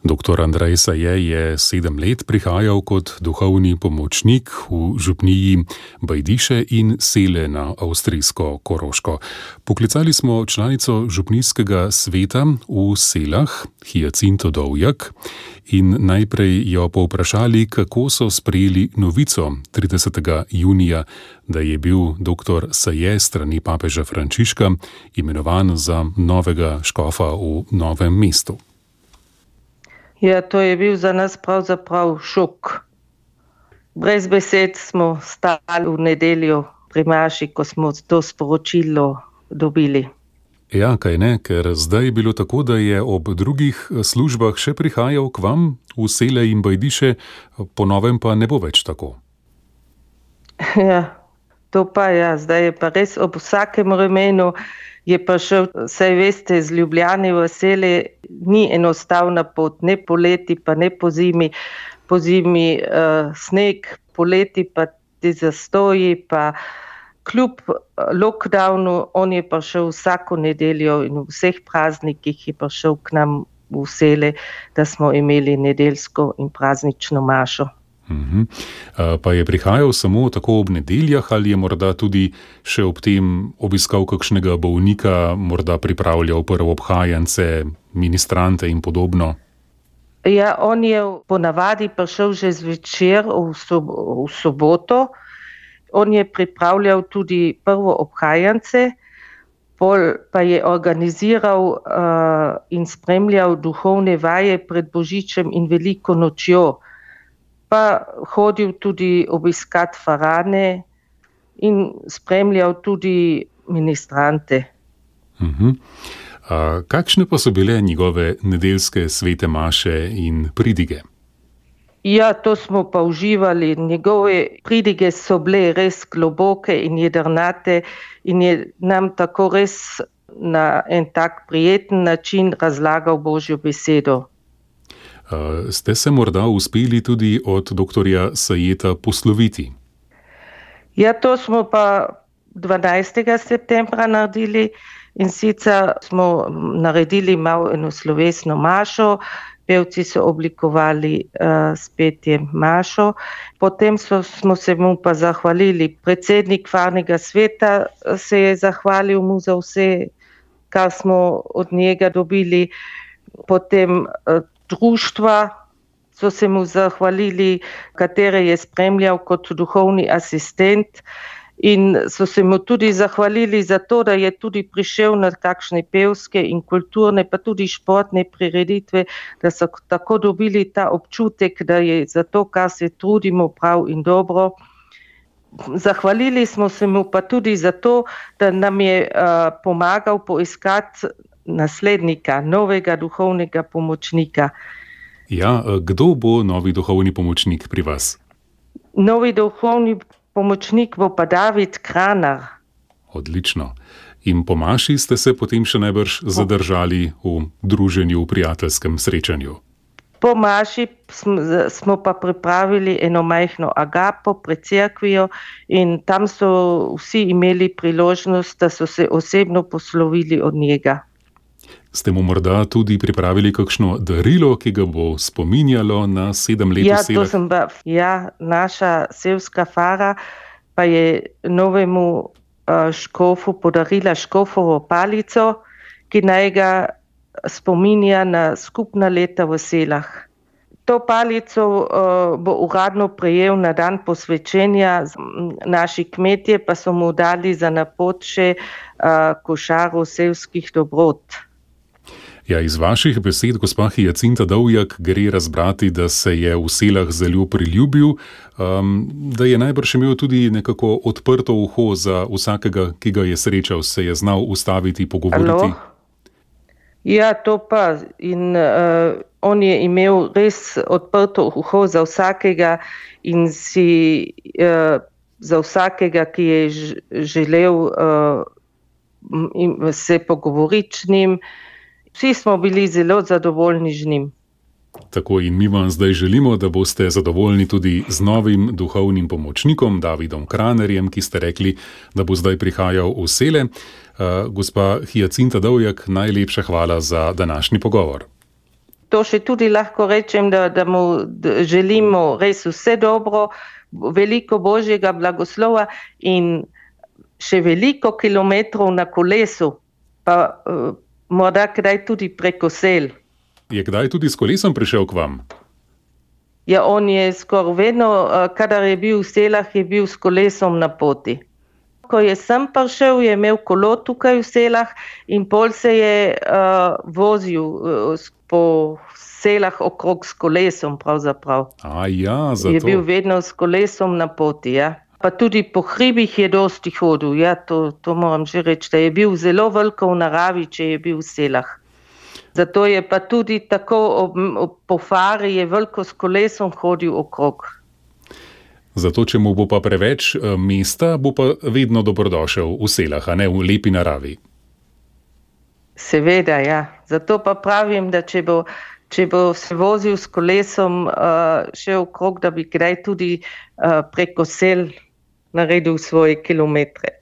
Dr. Andrej Saje je 7 let prihajal kot duhovni pomočnik v župniji Bajdiše in Sele na avstrijsko Koroško. Poklicali smo članico župnijskega sveta v Selah, Hyacinto Dovjak, in najprej jo povprašali, kako so sprejeli novico 30. junija, da je bil dr. Saje strani papeža Frančiška imenovan za novega škofa v Novem mestu. Ja, to je bil za nas pravzaprav šok. Brez besed smo stali v nedeljo pri maši, ko smo to sporočilo dobili. Ja, kaj ne, ker zdaj je bilo tako, da je ob drugih službah še prihajal k vam v Sele in Bajdiše, po novem pa ne bo več tako. Ja, to pa ja, zdaj je pa res ob vsakem vremenu je pa šel, saj veste, z Ljubljane v Sele ni enostavna pot, ne poleti, pa ne po zimi. Po zimi sneg, poleti pa ti zastoji, pa kljub lockdownu, on je pa šel vsako nedeljo in v vseh praznikih je pa šel k nam v Sele, da smo imeli nedeljsko in praznično mašo. Pa je prihajal samo tako ob nedeljah ali je morda tudi še ob tem obiskal kakšnega bolnika, morda pripravljal prvoobhajance, ministrante in podobno? Ja, on je ponavadi prišel že zvečer v soboto. On je pripravljal tudi prvoobhajance, pol pa je organiziral in spremljal duhovne vaje pred Božičem in Veliko nočjo. Pa hodil tudi obiskat farane in spremljal tudi ministrante. Kakšne pa so bile njegove nedeljske svete maše in pridige? Ja, to smo pa uživali. Njegove pridige so bile res globoke in jedrnate in je nam tako res na en tak prijeten način razlagal Božjo besedo. Ste se morda uspeli tudi od doktorja Sajeta posloviti? Ja, to smo pa 12. septembra naredili in sicer smo naredili malo eno slovesno mašo, pevci so oblikovali s petjem mašo, potem smo se mu pa zahvalili. Predsednik farnega sveta se je zahvalil mu za vse, kar smo od njega dobili, potem društva so se mu zahvalili, katere je spremljal kot duhovni asistent in so se mu tudi zahvalili za to, da je tudi prišel na kakšne pevske in kulturne, pa tudi športne prireditve, da so tako dobili ta občutek, da je za to, kar se trudimo, prav in dobro. Zahvalili smo se mu pa tudi za to, da nam je pomagal poiskati naslednika, novega duhovnega pomočnika. Ja, kdo bo novi duhovni pomočnik pri vas? Novi duhovni pomočnik bo pa David Kranar. Odlično. In po maši ste se potem še najbrž zadržali v druženju, v prijateljskem srečanju? Po maši smo pa pripravili eno majhno agapo pred cerkvijo in tam so vsi imeli priložnost, da so se osebno poslovili od njega. Ste mu morda tudi pripravili kakšno darilo, ki ga bo spominjalo na 7 let v Selah? Ja, naša selska fara pa je novemu škofu podarila škofovo palico, ki naj ga spominja na skupna leta v Selah. To palico bo uradno prejel na dan posvečenja, naši kmetje pa so mu dali za napot še košaro selskih dobrot. Ja, iz vaših besed, gospa Hyacinta Dovjak, gre razbrati, da se je v Selah zelo priljubil, da je najbrž imel tudi nekako odprto uho za vsakega, ki ga je srečal, se je znal ustaviti, pogovoriti. Ja, to pa. In on je imel res odprto uho za vsakega in za vsakega, ki je želel se pogovoriti z njim. Vsi smo bili zelo zadovoljni z njim. Tako in mi vam zdaj želimo, da boste zadovoljni tudi z novim duhovnim pomočnikom, Davidom Kranarjem, ki ste rekli, da bo zdaj prihajal v Sele. Gospa Hyacinta Dovjak, najlepša hvala za današnji pogovor. to še tudi lahko rečem, da mu želimo res vse dobro, veliko božjega blagoslova in še veliko kilometrov na kolesu, pa morda kdaj tudi preko sel. Je kdaj tudi s kolesom prišel k vam? Ja, on je skoraj vedno, kadar je bil v Selah, je bil s kolesom na poti. Ko je sem prišel, je imel kolo tukaj v Selah in pol se je vozil po Selah okrog s kolesom pravzaprav. Zato. Je bil vedno s kolesom na poti, ja. Pa tudi po hribih je dosti hodil, ja, to moram že reči, da je bil zelo veliko v naravi, če je bil v Selah. Zato je pa tudi tako po fari je veliko s kolesom hodil okrog. Zato, če mu bo pa preveč mesta, bo pa vedno dobrodošel v Selah, a ne v lepi naravi. Seveda, ja. Zato pa pravim, da če bo se vozil s kolesom še okrog, da bi kdaj tudi preko sel naredil svoje kilometre.